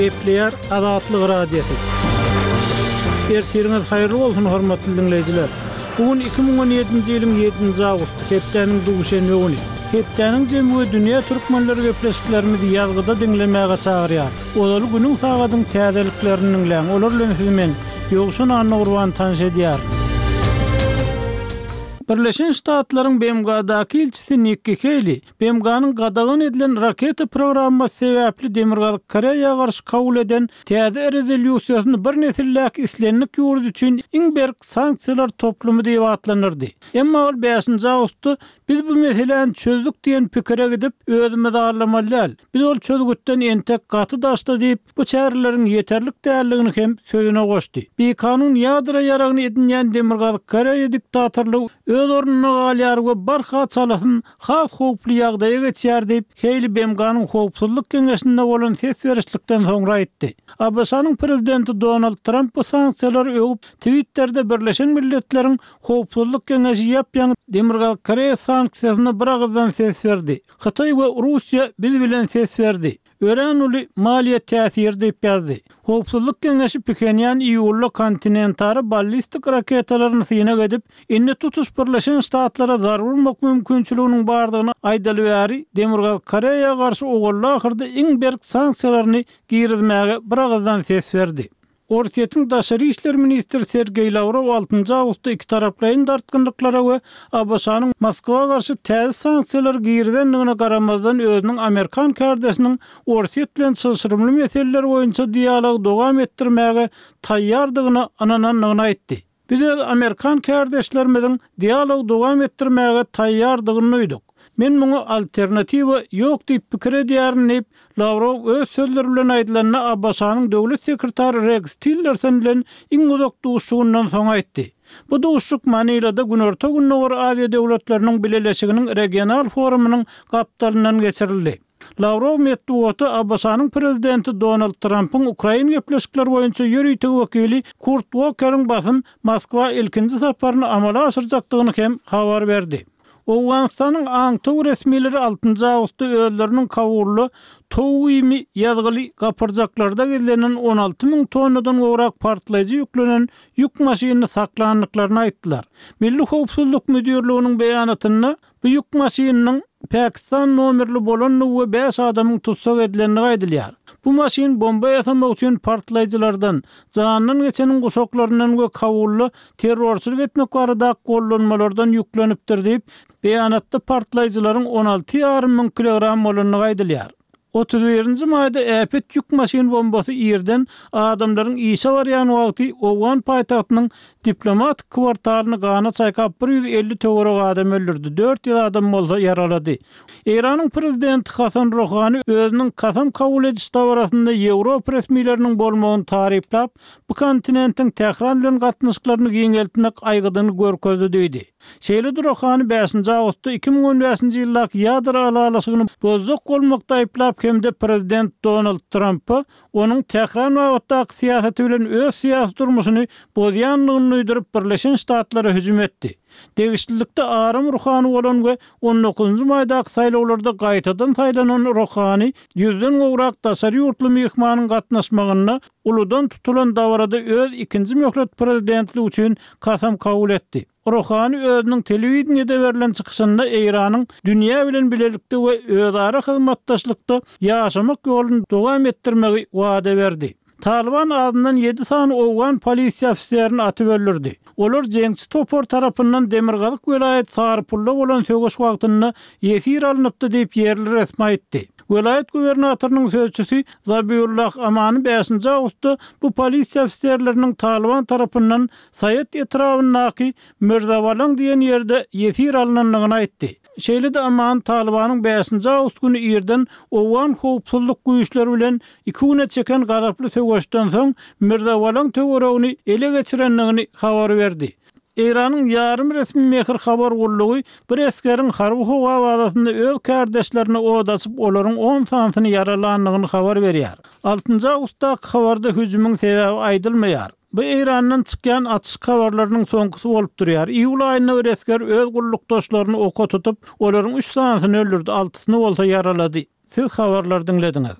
Gepleýär Azatlyk Radiosy. Ertiriňiz haýyrly bolsun, hormatly diňleýjiler! Bu gün 2017-nji ýylyň ýedinji awgusty, hepdäniň duşenbe güni. Hepdäniň jemi we dünýä türkmenleri gepleşiklerimizi ýazgyda diňlemäge çagyrýar. Ozaly günüň sagadyň täzeliklerini diňläň, olar bilen sizi men, Ýowşan Annagurban tanyş edýärin. Birleşen Ştatlaryň BMG-daky ilçisi Nikki Heýli BMG-niň gadagan edilen raketa programmasy sebäpli Demirgazyk Koreýa garşy kabul eden täze rezolýusiýasyny bir nesildäki islendik ýurt üçin iň berk sanksiýalar toplumy diýip atlandyrdy. Emma ol bäşinji awgustda biz bu meseläni çözdük diýen pikire gidip, özümizi aldamaly däl. Biz ol çözgütden entek gaty daşda diýip, bu çäreleriň ýeterlik däldigini hem sözüne goşdy. Bikanun ýadro ýaragyny edinýän Demirgazyk Koreýa diktatorlygy öz ornunda galýar we barha çalasyn has howply ýagdaýa geçýär diýip, Heýli BMG-niň Howpsuzlyk Geňeşinde bolan ses berişlikden soňra aýtdy. ABŞ-nyň prezidenti Donald Tramp bu sanksiýalary öwüp, Twitterde Birleşen Milletleriň Howpsuzlyk Geňeşi ýap-ýaňy Demirgazyk Koreýa sanksiýasyna biragyzdan ses berdi. Hytaý we Russiýa biz bilen ses berdi. Örän uly maliýe täsiri diýip ýazdy. Howpsuzlyk Geňeşi Phenýan iýulda kontinentara ballistik raketalaryny synag edip, indi tutuş Birleşen Ştatlara zarba urmak mümkinçiliginiň bardygyny aýdaly bäri Demirgazyk Koreýa garşy owalda-ahyrda iň berk sanksiýalaryny girizmäge biragyzdan ses berdi. Orsýetiň daşary işler ministri Sergeý Lawrow altynjy awgustda ikitaraplaýyn dartgynlyklara we ABŞ-nyň Moskwa garşy täze sanksiýalary girizendigine garamazdan özüniň amerikan kärdeşiniň Orsýet bilen çylşyrymly meseleler boýunça dialogy dowam etdirmäge taýýardygyna ynanandygyny aýtdy. Biz öz amerikan kärdeşlerimiziň dialogy dowam etdirmäge taýýardygyny duýduk. Men muňa alternatiwa ýok diýip pikir edýärin diýip, Lawrow öz sözleri bilen aýdylanda ABŞ-nyň döwlet sekretary Reks Tillerson bilen iň uzak duşuşygyndan soň aýtdy. Bu duşuşyk Manilada Günorta-Gündogar Aziýa döwletleriniň Bileleşiginiň regional forumynyň gapdalyndan geçirildi. Lawrow metbugata ABŞ-nyň prezidenti Donald Trampyň ukrain gepleşikleri boýunça ýörite wekili Kurt Wokeriň basym Moskwa ilkinji saparyny amala aşyrjakdygyny hem habar berdi. Owganystanyň aňtaw resmileri altynjy awgustda özleriniň Kabulda towuk iými ýazgyly gapyrjaklarda gizlenen 16 müň tonnadan gowrak partlaýjy ýüklenen ýük maşynyny saklandyklaryny aýtdylar. Milli howpsuzlyk müdirliginiň beýanatynda Bu ýük maşynynyň Pakistan nomerli bolandygy we bäş adamyň tussag edilendigi aýdylýar. Bu maşyn bomba ýasamak üçin partlaýjylardan, janyndan geçeniň guşaklaryndan we Kabulda terrorçylyk etmek baradaky gollanmalardan ýüklenipdir diýip, beýanatda partlaýjylaryň 16 ýarym müň kilogram bolandygy aýdylýar. 31-nji maýda äpet ýük maşyn bombasy irden adamlaryň işe barýan wagty owgan paýtagtynyň diplomatik kwartalyny gana çaýkap 150 töweregi adam öldürdi, 400 adam bolsa ýaralady. Eýranyň prezidenti Hasan Ruhani özüniň kasam kabul ediş dabarasynda ýewropa resmileriniň bolmagyny taryplap, bu kontinentiň Tähran bilen gatnaşyklaryny giňeltmek aýgydyny görkezdi diýdi. Şeýle-de Rohany bäşinji awgustda 2015-nji ýyldaky ýadro ylalaşygyny bozjak bolmakda aýyplap hem-de prezident Donald Trampa onuň Tähran babatdaky syýasaty bilen öz syýasy durmuşyny bozýandygyny duýduryp Birleşen Ştatlara hüjüm etdi. Degişlilikde aram ruhany bolan we on dokuzynjy maýdaky saýlawlarda gaýtadan saýlanan Rohany ýüzden gowrak daşary ýurtly myhmanyň gatnaşmagynda uludan tutulan dabarada öz ikinji möhlet prezidentligi üçin kasam kabul etdi. Rohani özüniň telewideniýede berlen çykyşynda Eýranyň dünýä bilen bilelikde we özara hyzmatdaşlykda ýaşamak ýoluny dowam etdirmegi wada berdi. Talyban azyndan ýedi sany owgan polisiýa ofiserini atyp öldürdi. Olar jeňçi topar tarapyndan demirgazyk welaýat Sarypulda bolan söweş wagtynda ýesir alnypdy diýip, ýerli resmi aýtdy. Welaýat gubernatorynyň sözçüsi Zabiullah Amany bäşinji awgustda bu polisiýa ofiserleriniň Talyban tarapyndan Saýat etrabyndaky Mirzabalaň diýen ýerde ýesir alnandygyny aýtdy. Şeýle-de Aman Talybanyň bäşinji awgust güni irden owgan howpsuzlyk güýçleri bilen iki güne çeken gazaply söweşden soň Mirzabalaň töweregini ele geçirendigini habar berdi. Eýranyň ýarym resmi Mehr habar gullugy bir esgeriň harby howa bazasynda öz kärdeşlerine od açyp, olaryň on sanysyny ýaralandygyny habar berýär. Altynjy awgustdaky habarda hüjümiň sebäbi aýdylmaýar. Bu Eýrandan çykýan atyşyk habarlarynyň soňkusy bolup durýar. Iýul aýynda bir esger öz gullukdaşlaryny oka tutup, olaryň üç sanysyny öldürdi, altysyny bolsa ýaralady. Siz habarlary diňlediňiz.